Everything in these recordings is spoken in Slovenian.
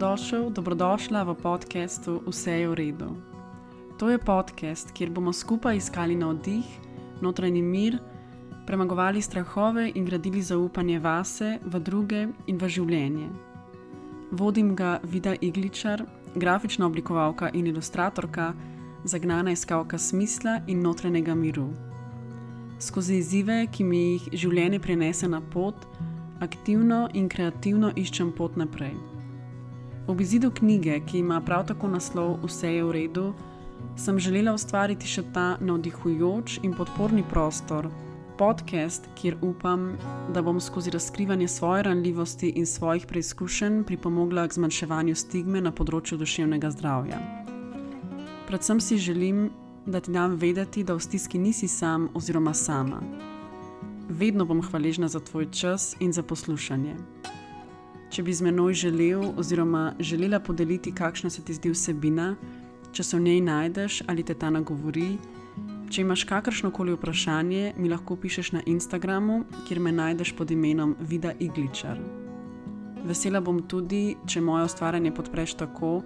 Dobrodošla v podcastu Vse je v redu. To je podcast, kjer bomo skupaj iskali navdih, notranji mir, premagovali strahove in gradili zaupanje vase, v druge in v življenje. Vodim ga Vida Igličar, grafična oblikovalka in ilustratorka, zagnana iskalka smisla in notranjega miru. Skozi izzive, ki mi jih življenje prinese na pot, aktivno in kreativno iščem pot naprej. Ob izidu knjige, ki ima prav tako naslov Vse je v redu, sem želela ustvariti še ta navdihujoč in podporni prostor, podcast, kjer upam, da bom skozi razkrivanje svoje ranljivosti in svojih preizkušenj pripomogla k zmanjševanju stigme na področju duševnega zdravja. Predvsem si želim, da ti dam vedeti, da v stiski nisi sam oziroma sama. Vedno bom hvaležna za tvoj čas in za poslušanje. Če bi z menoj želel oziroma želela podeliti, kakšna se ti zdi vsebina, če se v njej najdeš ali te ta nagovori, če imaš kakršnokoli vprašanje, mi lahko pišeš na Instagramu, kjer me najdeš pod imenom Vida Igličar. Vesela bom tudi, če moje ustvarjanje podpreš tako,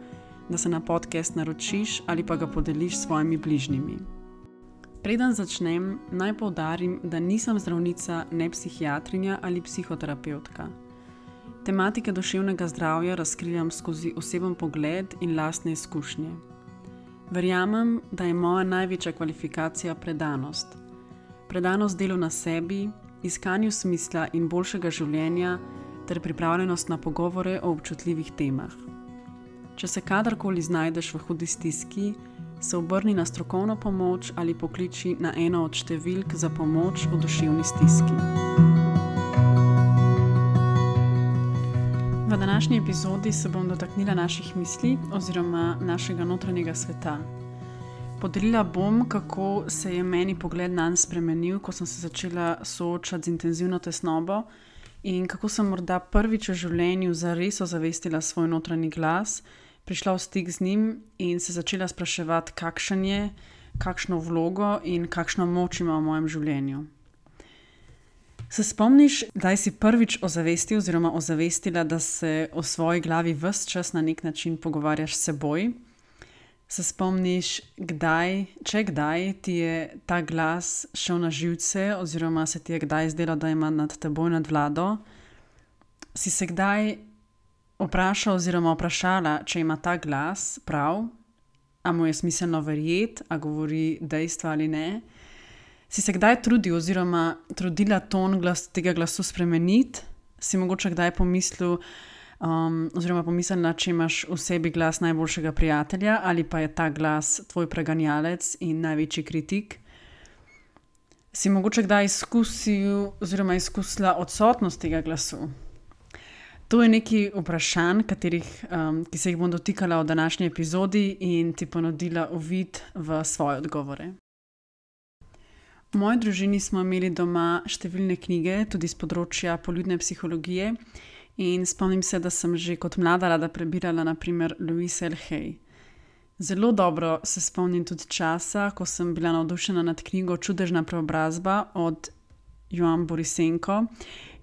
da se na podcast naročiš ali pa ga podeliš s svojimi bližnjimi. Preden začnem, naj poudarim, da nisem zdravnica, ne psihiatrinja ali psihoterapevtka. Tematike duševnega zdravja razkrivam skozi oseben pogled in lastne izkušnje. Verjamem, da je moja največja kvalifikacija predanost. Predanost delu na sebi, iskanju smisla in boljšega življenja ter pripravljenost na pogovore o občutljivih temah. Če se kadarkoli znajdeš v hudi stiski, se obrni na strokovno pomoč ali pokliči na eno od številk za pomoč v duševni stiski. V današnji epizodi se bom dotaknila naših misli oziroma našega notranjega sveta. Podelila bom, kako se je meni pogled nanj spremenil, ko sem se začela soočati z intenzivno tesnobo in kako sem morda prvič v življenju zares ozavestila svoj notranji glas, prišla v stik z njim in se začela spraševati, kakšen je, kakšno vlogo in kakšno moč ima v mojem življenju. Se spomniš, kdaj si prvič ozavestil oziroma ozavestila, da se o svoji glavi ves čas na nek način pogovarjaš s seboj? Se spomniš, kdaj ti je ta glas šel na živce oziroma se ti je kdaj zdelo, da ima nad teboj nadvlado? Si se kdaj vprašal oziroma vprašala, če ima ta glas prav, a mu je smiselno verjeti, a govori dejstva ali ne? Si se kdaj trudil oziroma trudila ton tega glasu spremeniti? Si mogoče kdaj pomislil oziroma pomislila, če imaš v sebi glas najboljšega prijatelja ali pa je ta glas tvoj preganjalec in največji kritik? Si mogoče kdaj izkusil oziroma izkusila odsotnost tega glasu? To je nekaj vprašanj, ki se jih bom dotikala v današnji epizodi in ti ponudila uvid v svoje odgovore. V moji družini smo imeli doma številne knjige, tudi z področja poljudne psihologije, in spomnim se, da sem že kot mlada rada prebirala na primer Louise L. Hay. Zelo dobro se spomnim tudi časa, ko sem bila navdušena nad knjigo Čudežna preobrazba od Joan Borisenko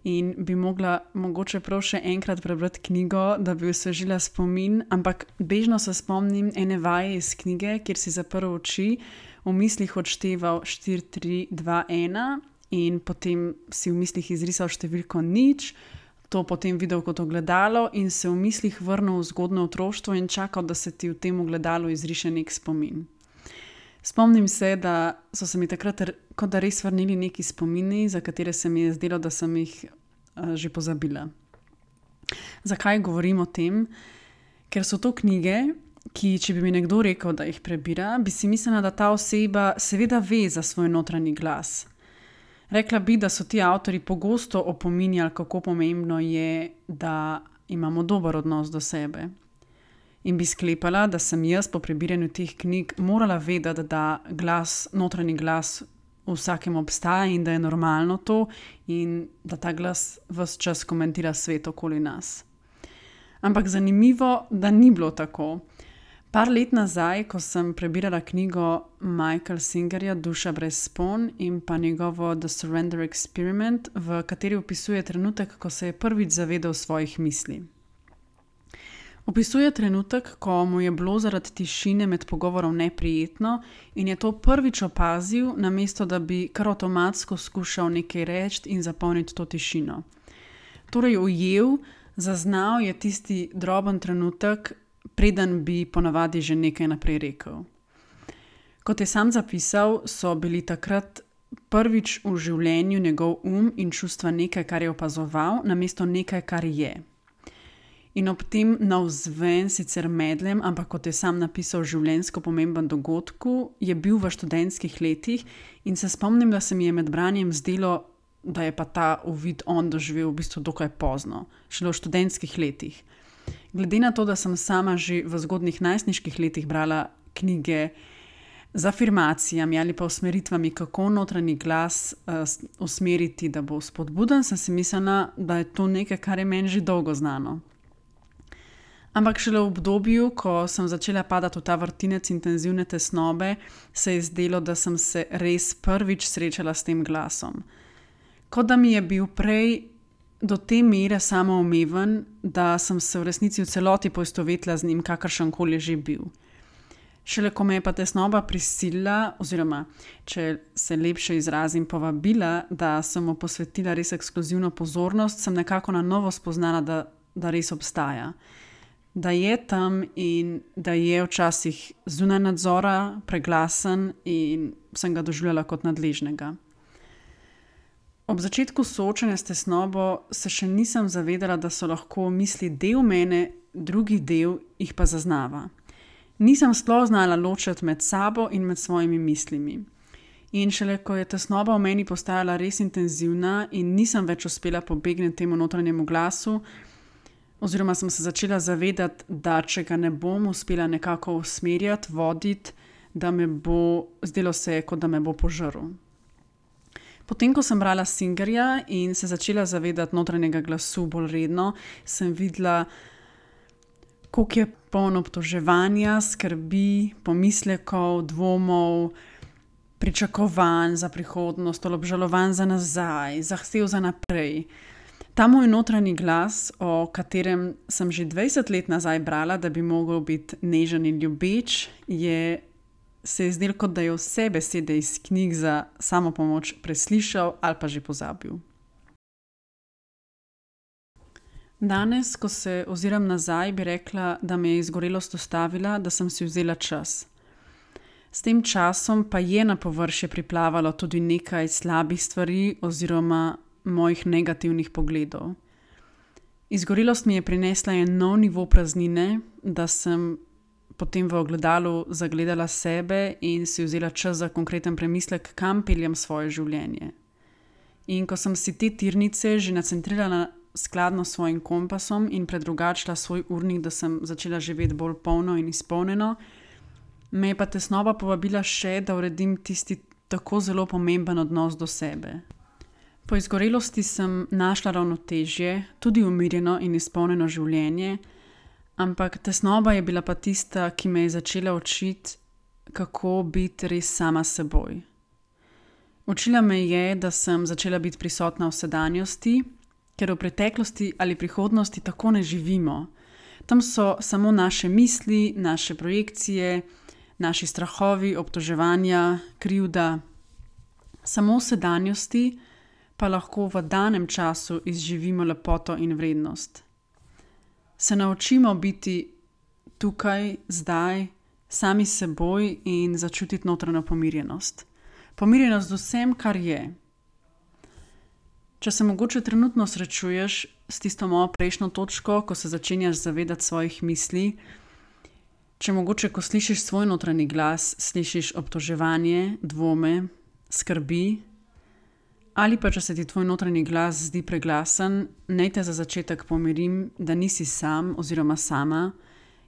in bi mogla mogoče prav še enkrat prebrati knjigo, da bi osvežila spomin, ampak bežno se spomnim ene vaje iz knjige, kjer si zaprl oči, v mislih odšteval 4, 3, 2, 1 in potem si v mislih izrisal številko 0, to potem videl kot ogledalo in se v mislih vrnil v zgodnje otroštvo in čakal, da se ti v tem ogledalu izriše nek spomin. Spomnim se, da so se mi takrat kot da res vrnili neki spomini, za katere se mi je zdelo, da sem jih že pozabila. Zakaj govorim o tem? Ker so to knjige, ki, če bi mi nekdo rekel, da jih prebira, bi si mislila, da ta oseba seveda ve za svoj notranji glas. Rekla bi, da so ti avtorji pogosto opominjali, kako pomembno je, da imamo dober odnos do sebe. In bi sklepala, da sem jaz po prebiranju teh knjig morala vedeti, da notranji glas v vsakem obstaja in da je normalno to in da ta glas ves čas komentira svet okoli nas. Ampak zanimivo, da ni bilo tako. Par let nazaj, ko sem prebirala knjigo Michaela Singerja Duša brez spon in pa njegovo The Surrender Experiment, v kateri opisuje trenutek, ko se je prvič zavedal svojih misli. Opisuje trenutek, ko mu je bilo zaradi tišine med pogovorom neprijetno in je to prvič opazil, namesto da bi kar avtomatsko skušal nekaj reči in zapolniti to tišino. Torej ujel, zaznal je tisti droben trenutek, preden bi ponavadi že nekaj naprej rekel. Kot je sam zapisal, so bili takrat prvič v življenju njegov in čustva nekaj, kar je opazoval, namesto nekaj, kar je. In ob tem navzven sicer medlem, ampak kot je sam napisal, življenjsko pomemben dogodku, je bil v študentskih letih in se spomnim, da se mi je med branjem zdelo, da je pa ta uvid on doživel v bistvu dokaj pozno, šele v študentskih letih. Glede na to, da sem sama že v zgodnjih najstniških letih brala knjige z afirmacijami ali pa usmeritvami, kako notranji glas usmeriti, da bo spodbuden, sem si mislila, da je to nekaj, kar je meni že dolgo znano. Ampak šele v obdobju, ko sem začela padati v ta vrtinec intenzivne tesnobe, se je zdelo, da sem se res prvič srečala s tem glasom. Kot da mi je bil prej do te mere samoumeven, da sem se v resnici v celoti poistovetila z njim, kakršenkoli že bil. Šele ko me je pa tesnoba prisilila, oziroma, če se lepše izrazim, povabila, da sem mu posvetila res ekskluzivno pozornost, sem nekako na novo spoznala, da res obstaja. Da je tam in da je včasih zunaj nadzora, preglasen in sem ga doživljala kot nadležnega. Ob začetku soočanja s tesnobo se še nisem zavedala, da so lahko misli del mene, drugi del jih pa zaznava. Nisem sploh znala ločiti med sabo in med svojimi mislimi. In šele ko je tesnoba v meni postajala res intenzivna in nisem več uspela pobegniti temu notranjemu glasu, oziroma sem se začela zavedati, da če ga ne bom uspela nekako usmerjati, voditi, da me bo, zdelo se je, kot da me bo požrl. Potem, ko sem brala Singerja in se začela zavedati notranjega glasu bolj redno, sem videla, koliko je polno obtoževanja, skrbi, pomislekov, dvomov, pričakovanj za prihodnost, obžalovanj za nazaj, zahtev za naprej. Ta moj notranji glas, o katerem sem že 20 let nazaj brala, da bi mogel biti nežen in ljubeč, se je zdelo, kot da je vse besede iz knjig za samopomoč preslišal ali pa že pozabil. Danes, ko se oziram nazaj, bi rekla, da me je izgorelost ustavila, da sem si vzela čas. S tem časom pa je na površje priplavalo tudi nekaj slabih stvari oziroma mojih negativnih pogledov. Izgorelost mi je prinesla en nov nivo praznine, da sem potem v ogledalu zagledala sebe in si vzela čas za konkreten premislek, kam peljem svoje življenje. In ko sem si te tirnice že nacentrirala skladno s svojim kompasom in predrugačila svoj urnik, da sem začela živeti bolj polno in izpolnjeno, me je pa tesnoba povabila še, da uredim tisti tako zelo pomemben odnos do sebe. Po izgorelosti sem našla ravnotežje, tudi umirjeno in izpolnjeno življenje, ampak tesnoba je bila pa tista, ki me je začela učiti, kako biti res sama s seboj. Učila me je, da sem začela biti prisotna v sedanjosti, ker v preteklosti ali prihodnosti tako ne živimo. Tam so samo naše misli, naše projekcije, naši strahovi, obtoževanja, krivda. Samo v sedanjosti pa lahko v danem času izživimo lepoto in vrednost. Se naučimo biti tukaj, zdaj, sami s seboj in začutiti notranjo pomirjenost. Pomirjenost z vsem, kar je. Če se mogoče trenutno srečuješ s tisto mojo prejšnjo točko, ko se začenjaš zavedati svojih misli, če mogoče, ko slišiš svoj notranji glas, slišiš obtoževanje, dvome, skrbi, ali pa če se ti tvoj notranji glas zdi preglasen, naj te za začetek pomirim, da nisi sam oziroma sama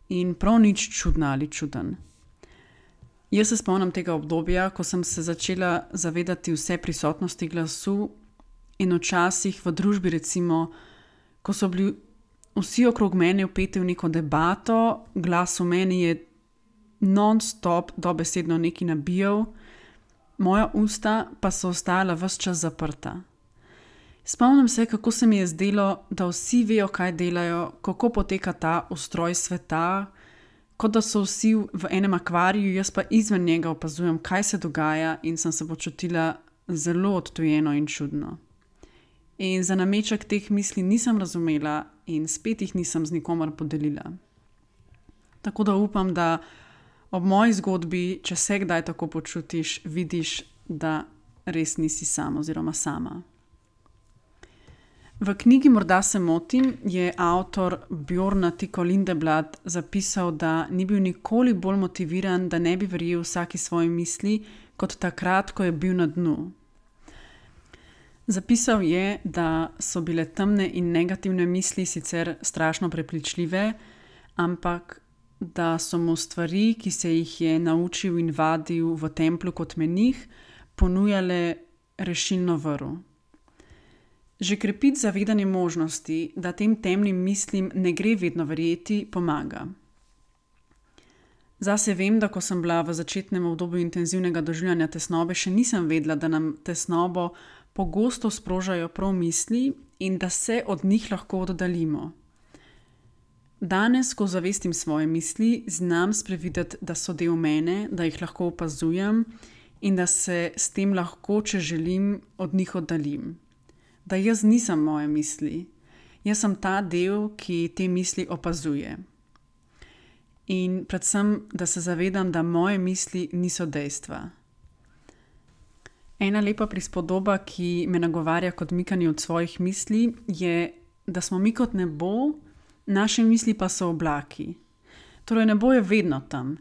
in prav nič čudna ali čuden. Jaz se spomnim tega obdobja, ko sem se začela zavedati vse prisotnosti glasu in včasih v družbi, recimo, ko so bili vsi okrog mene vpeti v neko debato, glas v meni je non-stop dobesedno nekaj nabijal, moja usta pa so ostala ves čas zaprta. Spomnim se, kako se mi je zdelo, da vsi vejo, kaj delajo, kako poteka ta ustroj sveta, kot da so vsi v enem akvariju, jaz pa izven njega opazujem, kaj se dogaja, in sem se počutila zelo odtujeno in čudno. In za nameček teh misli nisem razumela in spet jih nisem z nikomer podelila. Tako da upam, da ob moji zgodbi, če se kdaj tako počutiš, vidiš, da res nisi sam oziroma sama. V knjigi Morda se motim je avtor Bjorn Tiko Lindeblad zapisal, da ni bil nikoli bolj motiviran, da ne bi verjel vsaki svoji misli, kot takrat, ko je bil na dnu. Zapisal je, da so bile temne in negativne misli sicer strašno prepričljive, ampak da so mu stvari, ki se jih je naučil in vadil v templju kot menih, ponujale rešilno vrv. Že krepiti zavedanje možnosti, da tem temnim mislim ne gre vedno verjeti, pomaga. Zase vem, da ko sem bila v začetnem obdobju intenzivnega doživljanja tesnobe, še nisem vedela, da nam tesnobo pogosto sprožajo prav misli in da se od njih lahko oddaljimo. Danes, ko zavestim svoje misli, znam sprevideti, da so del mene, da jih lahko opazujem in da se s tem lahko, če želim, od njih oddaljim. Da jaz nisem moje misli, jaz sem ta del, ki te misli opazuje. In predvsem, da se zavedam, da moje misli niso dejstva. Ena lepa prispodoba, ki me nagovarja k odmikanju od svojih misli, je, da smo mi kot nebo, naše misli pa so oblaki. Torej nebo je vedno tam.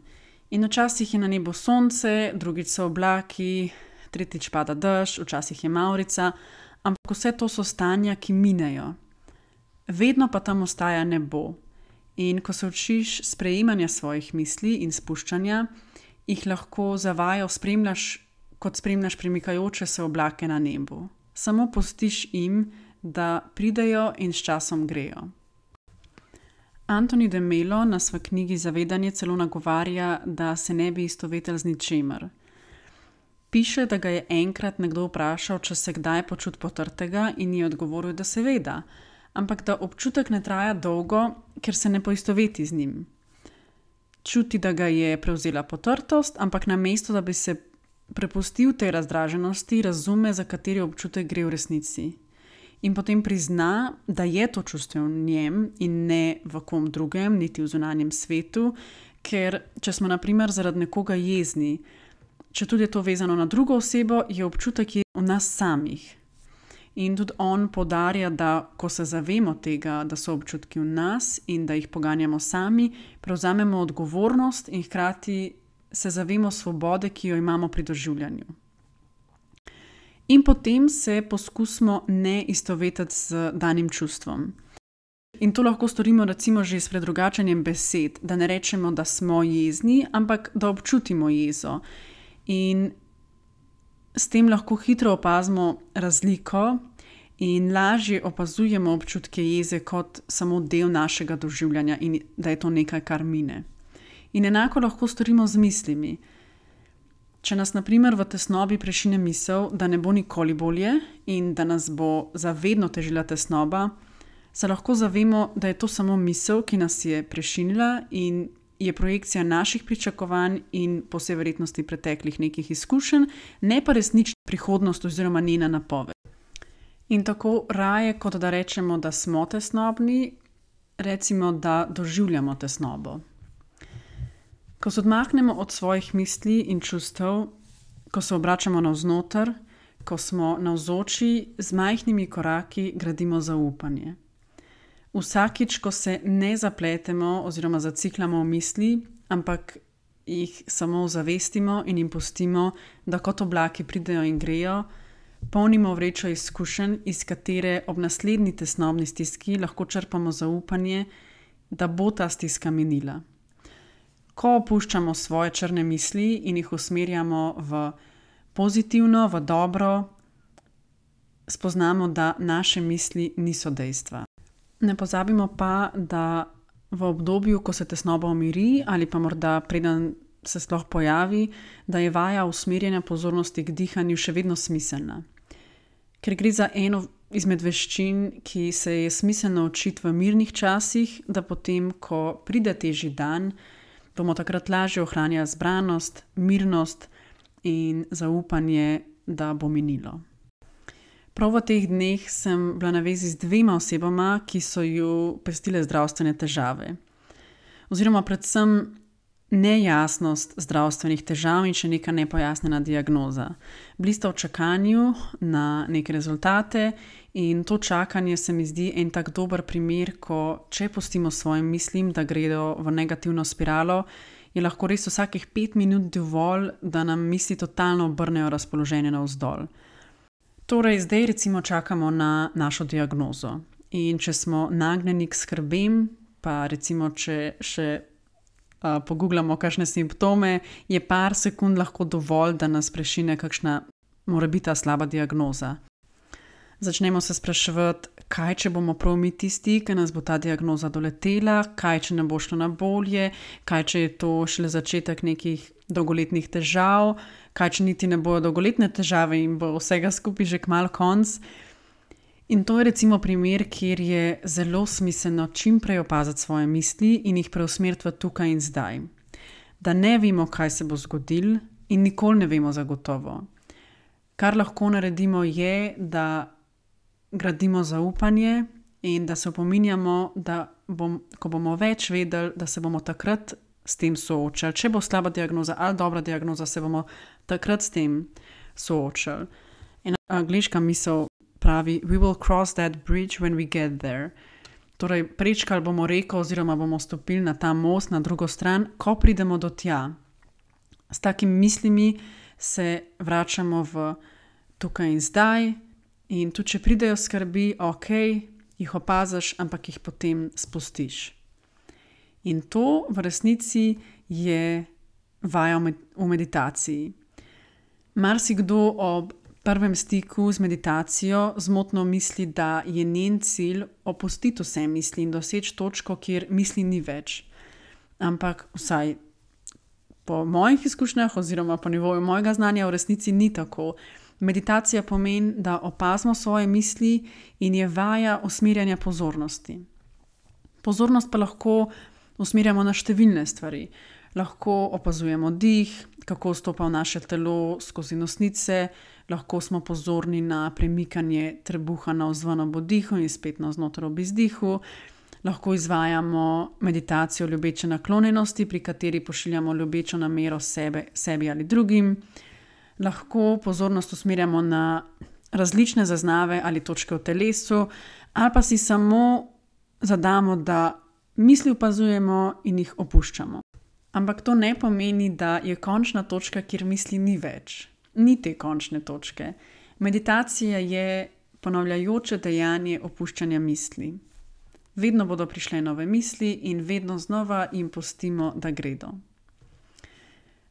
In včasih je na nebu sonce, drugič so oblaki, tretjič pada dež, včasih je mavrica, ampak vse to so stanja, ki minejo. Vedno pa tam ostaja nebo. In ko se učiš sprejemanja svojih misli in spuščanja, jih lahko zavajo spremljaš, kot spremljaš premikajoče se oblake na nebu. Samo pustiš jim, da pridejo in s časom grejo. Anthony de Mello nas v knjigi Zavedanje celo nagovarja, da se ne bi istovetel z ničemer. Piše, da ga je enkrat nekdo vprašal, če se kdaj počuti potrtega, in je odgovoril, da seveda, ampak da občutek ne traja dolgo, ker se ne poistoveti z njim. Čuti, da ga je prevzela potrtost, ampak namesto, da bi se prepustil tej razdraženosti, razume, za kateri občutek gre v resnici. In potem prizna, da je to čustvo v njem in ne v kom drugem, niti v zunanjem svetu, ker če smo na primer zaradi nekoga jezni, če tudi je to vezano na drugo osebo, je občutek v nas samih. In tudi on poudarja, da ko se zavemo tega, da so občutki v nas in da jih poganjamo sami, prevzamemo odgovornost in hkrati se zavemo svobode, ki jo imamo pri doživljanju. In potem se poskusimo ne istovetiti z danim čustvom. In to lahko storimo recimo že s predrugačenjem besed, da ne rečemo, da smo jezni, ampak da občutimo jezo. In s tem lahko hitro opazimo razliko in lažje opazujemo občutke jeze kot samo del našega doživljanja in da je to nekaj, kar mine. In enako lahko storimo z mislimi. Če nas na primer v tesnobi prešine misel, da ne bo nikoli bolje in da nas bo zavedno težila tesnoba, se lahko zavemo, da je to samo misel, ki nas je prešinila in je projekcija naših pričakovanj in po vsej verjetnosti preteklih nekih izkušenj, ne pa resnična prihodnost oziroma njena napoved. In tako raje, kot da rečemo, da smo tesnobni, recimo, da doživljamo tesnobo. Ko se odmaknemo od svojih misli in čustev, ko se obračamo navznoter, ko smo navzoči, z majhnimi koraki gradimo zaupanje. Vsakič, ko se ne zapletemo oziroma zacikljamo v misli, ampak jih samo zavestimo in jim pustimo, da kot oblaki pridejo in grejo, polnimo vrečo izkušenj, iz katere ob naslednji tesnobni stiski lahko črpamo zaupanje, da bo ta stiska minila. Ko opuščamo svoje črne misli in jih usmerjamo v pozitivno, v dobro, spoznamo, da naše misli niso dejstva. Ne pozabimo pa, da v obdobju, ko se tesnoba umiri ali pa morda preden se sploh pojavi, da je vaja usmerjanja pozornosti k dihanju še vedno smiselna. Ker gre za eno izmed veščin, ki se je smiselno učiti v mirnih časih, da potem, ko pride težji dan, bomo takrat lažje ohranjali zbranost, mirnost in zaupanje, da bo minilo. Prav v teh dneh sem bila na vezi z 2 osebama, ki so ju pestile zdravstvene težave. Oziroma predvsem nejasnost zdravstvenih težav in še neka nepojasnjena diagnoza. Bili sta v čakanju na neke rezultate in to čakanje se mi zdi en tak dober primer, ko če pustimo svojim mislim, da gredo v negativno spiralo, je lahko res vsakih 5 minut dovolj, da nam misli totalno obrnejo razpoloženje navzdol. Torej, zdaj recimo čakamo na našo diagnozo in če smo nagnjeni k skrbem, pa recimo če še pogooglamo kakšne simptome, je par sekund lahko dovolj, da nas prešine kakšna morebitna slaba diagnoza. Začnemo se spraševati, kaj če bomo prav mi tisti, ki nas bo ta diagnoza doletela, kaj če ne bo šlo na bolje, kaj če je to šele začetek nekih dolgoletnih težav, kaj če niti ne bojo dolgoletne težave in bo vsega skupaj že kmalu konc. In to je recimo primer, kjer je zelo smiselno čim prej opaziti svoje misli in jih preusmeriti v tukaj in zdaj. Da ne vemo, kaj se bo zgodilo in nikoli ne vemo zagotovo. Kar lahko naredimo je, da gradimo zaupanje in da se opominjamo, da ko bomo več vedeli, da se bomo takrat s tem soočali. Če bo slaba diagnoza ali dobra diagnoza, se bomo takrat s tem soočali. In angleška misel pravi, we will cross that bridge when we get there. Torej, prečkali bomo reko oziroma bomo stopili na ta most na drugo stran, ko pridemo do tja. S takimi mislimi se vračamo v tukaj in zdaj in tudi, če pridejo skrbi, ok, jih opaziš, ampak jih potem spustiš. In to v resnici je vaja v meditaciji. Marsikdo ob prvem stiku z meditacijo zmotno misli, da je njen cilj opustiti vse misli in doseči točko, kjer misli ni več. Ampak vsaj po mojih izkušnjah oziroma po nivoju mojega znanja v resnici ni tako. Meditacija pomeni, da opazimo svoje misli in je vaja usmerjanja pozornosti. Pozornost pa lahko usmerjamo na številne stvari. Lahko opazujemo dih, kako stopa v naše telo skozi nosnice, lahko smo pozorni na premikanje trebuha navzven ob vdihu in spet navznoter ob izdihu. Lahko izvajamo meditacijo ljubeče naklonjenosti, pri kateri pošiljamo ljubečo namero sebi ali drugim. Lahko pozornost usmerjamo na različne zaznave ali točke v telesu, ali pa si samo zadamo, da misli opazujemo in jih opuščamo. Ampak to ne pomeni, da je končna točka, kjer misli ni več. Ni te končne točke. Meditacija je ponavljajoče dejanje opuščanja misli. Vedno bodo prišle nove misli in vedno znova jim pustimo, da gredo.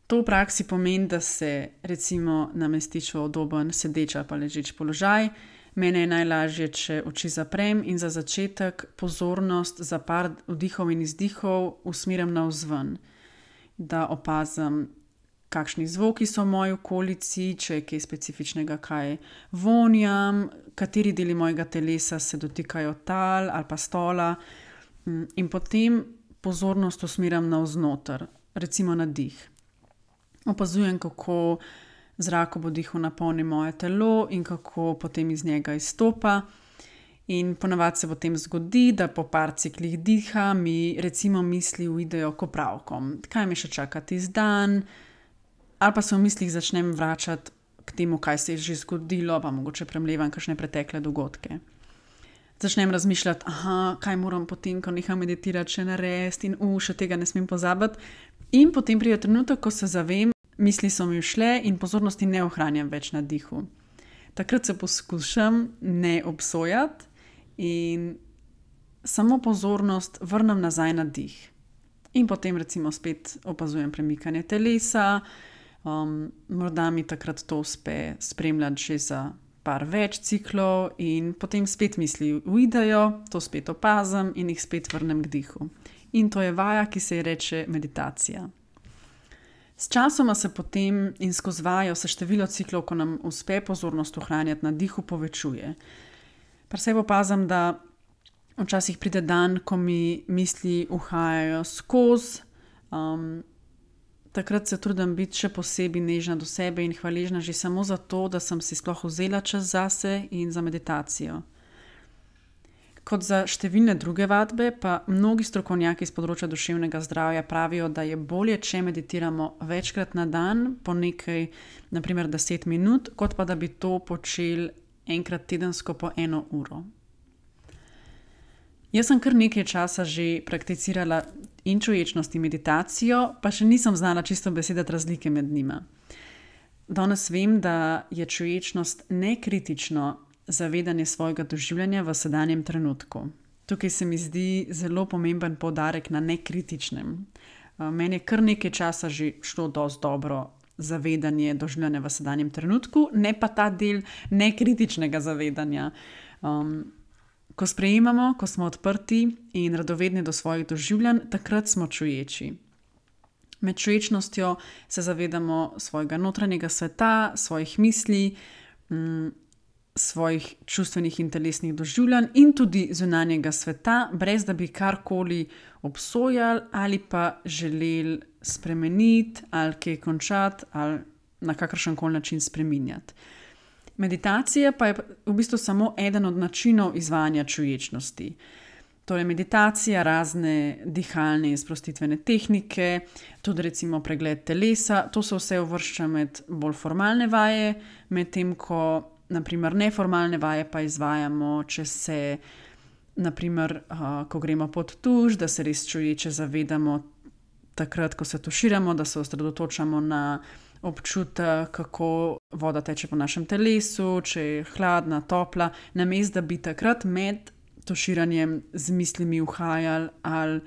To v praksi pomeni, da se recimo namestiš v udoben sedeč ali pa ležeč položaj. Mene je najlažje, če oči zaprem in za začetek pozornost za par vdihov in izdihov usmerim navzven. Da opazim, kakšni zvoki so v moji okolici, če je kaj specifičnega, kaj vonjam, kateri deli mojega telesa se dotikajo tal ali pa stola. In potem pozornost usmerim navznoter, recimo na dih. Opazujem, kako zrak ob vdihu napolni moje telo in kako potem iz njega izstopa. In ponavadi se potem zgodi, da po par ciklih diha mi recimo misli uidejo k opravkom. Kaj me še čaka tisti dan? Ali pa se v mislih začnem vračati k temu, kaj se je že zgodilo, pa mogoče premlevam kakšne pretekle dogodke. Začnem razmišljati, kaj moram potem, ko neham meditirati, še narediti in še tega ne smem pozabiti. In potem pride trenutek, ko se zavem, misli so mi ušle in pozornosti ne ohranjam več na dihu. Takrat se poskušam ne obsojati in samo pozornost vrnem nazaj na dih. In potem recimo spet opazujem premikanje telesa, morda mi takrat to uspe spremljati že za par več ciklov in potem spet misli uidejo, to spet opazim in jih spet vrnem k dihu. In to je vaja, ki se ji reče meditacija. S časoma se potem in skozi vajo se število ciklov, ko nam uspe pozornost ohranjati na dihu, povečuje. Pri sebi opazim, da včasih pride dan, ko mi misli uhajajo skozi. Takrat se trudim biti še posebej nežna do sebe in hvaležna že samo za to, da sem si sploh vzela čas zase in za meditacijo. Kot za številne druge vadbe, pa mnogi strokovnjaki z področja duševnega zdravja pravijo, da je bolje, če meditiramo večkrat na dan, po nekaj, naprimer 10 minut, kot pa da bi to počeli enkrat tedensko po 1 uro. Jaz sem kar nekaj časa že prakticirala in čuječnost in meditacijo, pa še nisem znala čisto besedati razlike med njima. Danes vem, da je čuječnost nekritično zavedanje svojega doživljanja v sedanjem trenutku. Tukaj se mi zdi zelo pomemben poudarek na nekritičnem. Meni je kar nekaj časa že šlo dosti dobro zavedanje doživljanja v sedanjem trenutku, ne pa ta del nekritičnega zavedanja. Ko sprejemamo, ko smo odprti in radovedni do svojih doživljanj, takrat smo čuječi. Med čuječnostjo se zavedamo svojega notranjega sveta, svojih misli, svojih čustvenih in telesnih doživljanj in tudi zunanjega sveta, brez da bi karkoli obsojali ali pa želeli spremeniti ali kaj končati ali na kakršenkoli način spreminjati. Meditacija pa je v bistvu samo eden od načinov izvajanja čuječnosti. Torej meditacija, razne dihalne in sprostitvene tehnike, tudi recimo pregled telesa, to se vse uvršča med bolj formalne vaje, medtem ko naprimer neformalne vaje pa izvajamo, če se, naprimer, ko gremo pod tuš, da se res čuječe zavedamo takrat, ko se tuširamo, da se osredotočamo na občutek, kako voda teče po našem telesu, če je hladna, topla, namesto da bi takrat med tuširanjem z mislimi uhajali ali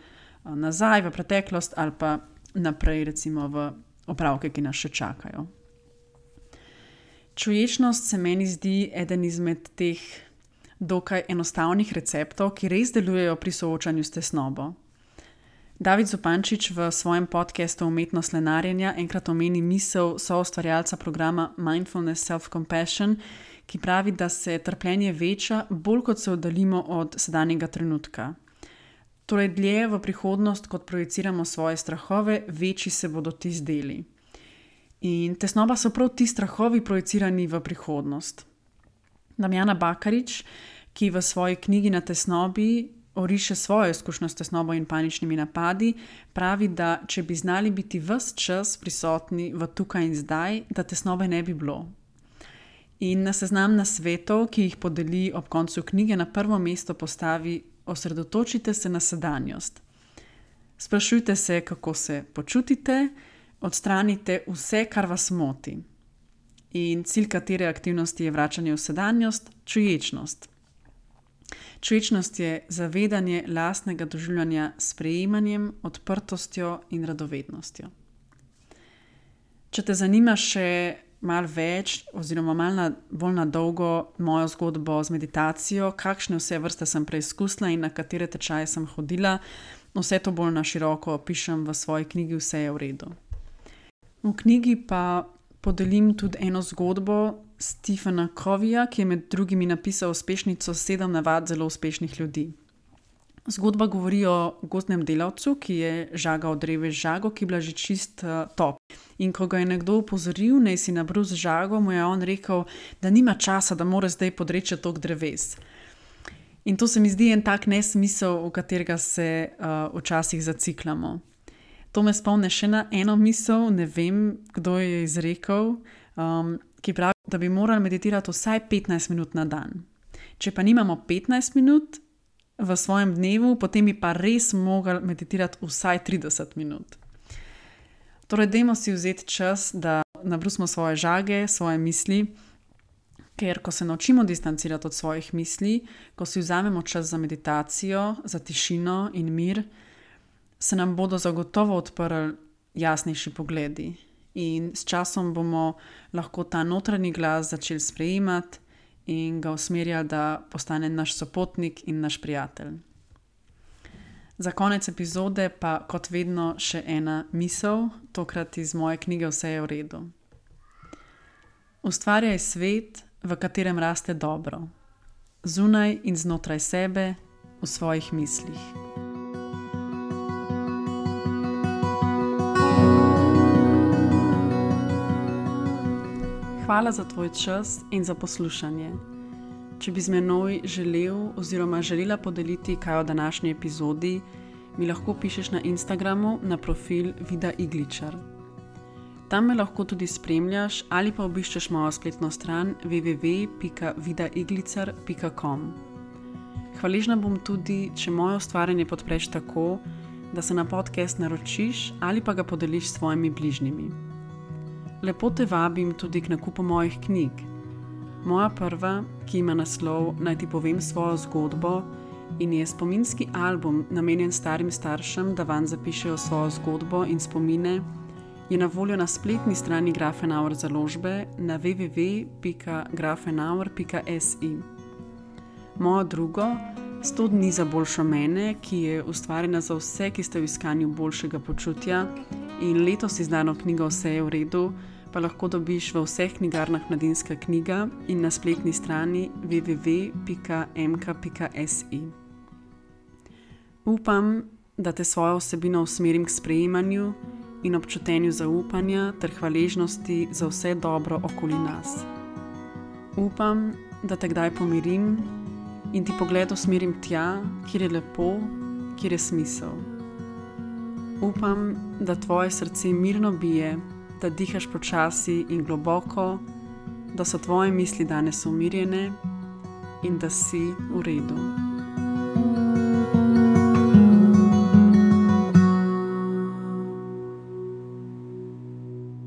nazaj v preteklost ali pa naprej recimo v opravke, ki nas še čakajo. Čuječnost se meni zdi eden izmed teh dokaj enostavnih receptov, ki res delujejo pri soočanju s tesnobo. David Zupančič v svojem podcastu Umetnost lenarjenja enkrat omeni misel soustvarjalca programa Mindfulness Self-Compassion, ki pravi, da se trpljenje veča, bolj kot se oddaljimo od sedanjega trenutka. Torej, dlje v prihodnost, kot projiciramo svoje strahove, večji se bodo ti zdeli. In tesnoba so prav ti strahovi projicirani v prihodnost. Damjana Bakarič, ki v svoji knjigi Na tesnobi oriše svojo izkušnjo s tesnobo in paničnimi napadi, pravi, da če bi znali biti ves čas prisotni v tukaj in zdaj, da tesnobe ne bi bilo. In na seznam nasvetov, ki jih podeli ob koncu knjige, na prvo mesto postavi: osredotočite se na sedanjost. Sprašujte se, kako se počutite, odstranite vse, kar vas moti. In cilj katere aktivnosti je vračanje v sedanjost? Čuječnost. Čuječnost je zavedanje lastnega doživljanja s sprejemanjem, odprtostjo in radovednostjo. Če te zanima še malo več oziroma malo bolj na dolgo mojo zgodbo z meditacijo, kakšne vse vrste sem preizkusila in na katere tečaje sem hodila, vse to bolj na široko opišem v svoji knjigi Vse je v redu. V knjigi pa podelim tudi eno zgodbo Stephena Coveyja, ki je med drugimi napisal uspešnico 7 navad zelo uspešnih ljudi. Zgodba govori o gozdnem delavcu, ki je žagal dreve z žago, ki je bila že čist top. In ko ga je nekdo opozoril, naj si nabrus žago, mu je on rekel, da nima časa, da mora zdaj podreči toliko dreves. In to se mi zdi en tak nesmisel, v katerega se včasih zaciklamo. To me spomne še na eno misel, ne vem, kdo je izrekel, ki pravi, da bi morali meditirati vsaj 15 minut na dan. Če pa nimamo 15 minut v svojem dnevu, potem bi pa res mogli meditirati vsaj 30 minut. Torej, dajmo si vzeti čas, da nabrusimo svoje žage, svoje misli, ker ko se naučimo distancirati od svojih misli, ko si vzamemo čas za meditacijo, za tišino in mir, se nam bodo zagotovo odprli jasnejši pogledi. In s časom bomo lahko ta notranji glas začeli sprejemati in ga usmerjali, da postane naš sopotnik in naš prijatelj. Za konec epizode pa kot vedno še ena misel, tokrat iz moje knjige Vse je v redu. Ustvarjaj svet, v katerem raste dobro. zunaj in znotraj sebe, v svojih mislih. Hvala za tvoj čas in za poslušanje. Če bi z menoj želel oziroma želela podeliti kaj o današnji epizodi, mi lahko pišeš na Instagramu na profil Vida Igličar. Tam me lahko tudi spremljaš ali pa obiščeš mojo spletno stran www.vidaiglicar.com. Hvaležna bom tudi, če moje ustvarjanje podpreš tako, da se na podcast naročiš ali pa ga podeliš s svojimi bližnjimi. Lepo te vabim tudi k nakupu mojih knjig. Moja prva, ki ima naslov Naj ti povem svojo zgodbo in je spominski album namenjen starim staršem, da vanj zapišejo svojo zgodbo in spomine, je na voljo na spletni strani Grafenauer založbe na www.grafenauer.si. Mojo drugo, 100 dni za boljšo mene, ki je ustvarjena za vse, ki ste v iskanju boljšega počutja, in letos izdano knjigo Vse je v redu, pa lahko dobiš v vseh knjigarnah Mladinska knjiga in na spletni strani www.mk.si. Upam, da te svojo vsebino usmerim k sprejemanju in občutenju zaupanja ter hvaležnosti za vse dobro okoli nas. Upam, da te kdaj pomirim in ti pogled usmerim tja, kjer je lepo, kjer je smisel. Upam, da tvoje srce mirno bije, da dihaš počasi in globoko, da so tvoje misli danes umirjene in da si v redu.